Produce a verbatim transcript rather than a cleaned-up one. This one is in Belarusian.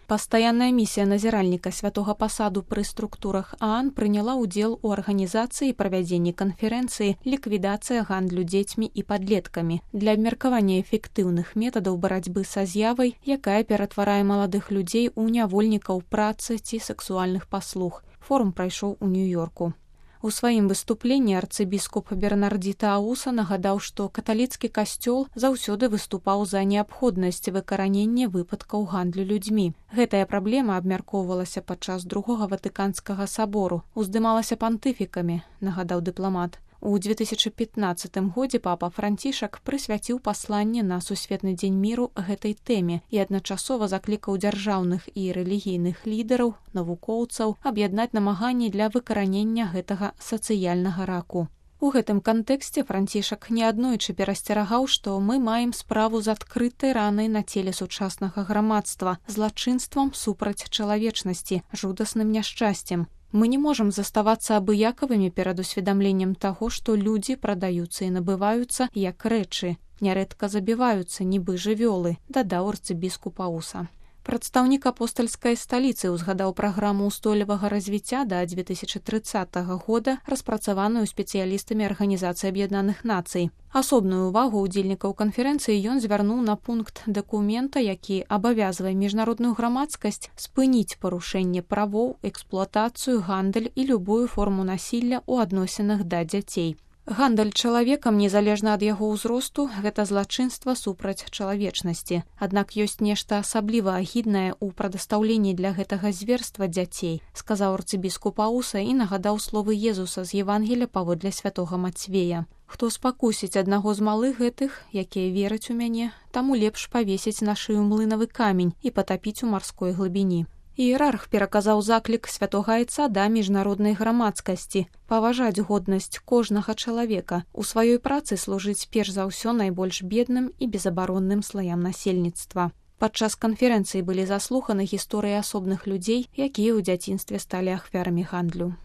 Пастаянная місія назіральніка святога пасаду пры структурах ААН прыняла ўдзел у арганізацыі і правядзенні канферэнцыі «Ліквідацыя гандлю дзецьмі і падлеткамі» для абмеркавання эфектыўных метадаў барацьбы са з'явай, якая ператварае маладых людзей у нявольнікаў працы ці сексуальных паслуг. Форум прайшоў у Нью-Йорку. У сваім выступленні арцыбіскуп Бернардзіта Ауса нагадаў, што каталіцкі касцёл заўсёды выступаў за неабходнасць выкаранення выпадкаў гандлю людзьмі. Гэтая праблема абмяркоўвалася падчас другога ватыканскага сабору, уздымалася пантыфікамі, нагадаў дыпламат. У две тысячы пятнаццатым годзе папа Францішак прысвяціў пасланне на сусветны дзень міру гэтай тэме і адначасова заклікаў дзяржаўных і рэлігійных лідараў, навукоўцаў аб'яднаць намаганні для выкаранення гэтага сацыяльнага раку. У гэтым кантэксце Францішак неаднойчы перасцерагаў, што мы маем справу з адкрытай ранай на целе сучаснага грамадства, злачынствам супраць чалавечнасці, жудасным няшчасцем. Мы не можам заставацца абыякавымі перад усведамленнем таго, што людзі прадаюцца і набываюцца як рэчы, нярэдка забіваюцца, нібы жывёлы, дадаў арцыбіскуп Ауса. Прадстаўнік апостальскай сталіцы ўзгадаў праграму ўстойлівага развіцця да две тысячы трыццатага года, распрацаваную спецыялістамі Арганізацыі Аб'яднаных Нацый. Асобную ўвагу ўдзельнікаў канферэнцыі ён звярнуў на пункт дакумента, які абавязвае міжнародную грамадскасць спыніць парушэнне правоў, эксплуатацыю, гандаль і любую форму насілля ў адносінах да дзяцей. Гандаль чалавекам, незалежна ад яго ўзросту, гэта злачынства супраць чалавечнасці. Аднак ёсць нешта асабліва агіднае ў прадастаўленні для гэтага зверства дзяцей, сказаў арцыбіскуп Ауса і нагадаў словы Езуса з Евангелія паводле святога Мацвея. Хто спакусіць аднаго з малых гэтых, якія вераць у мяне, таму лепш павесіць на шыю млынавы камень і патапіць у марской глыбіні. Іерарх пераказаў заклік святога айца да міжнароднай грамадскасці паважаць годнасць кожнага чалавека, у сваёй працы служыць перш за ўсё найбольш бедным і безабаронным слаям насельніцтва. Падчас канферэнцыі былі заслуханы гісторыі асобных людзей, якія ў дзяцінстве сталі ахвярамі гандлю.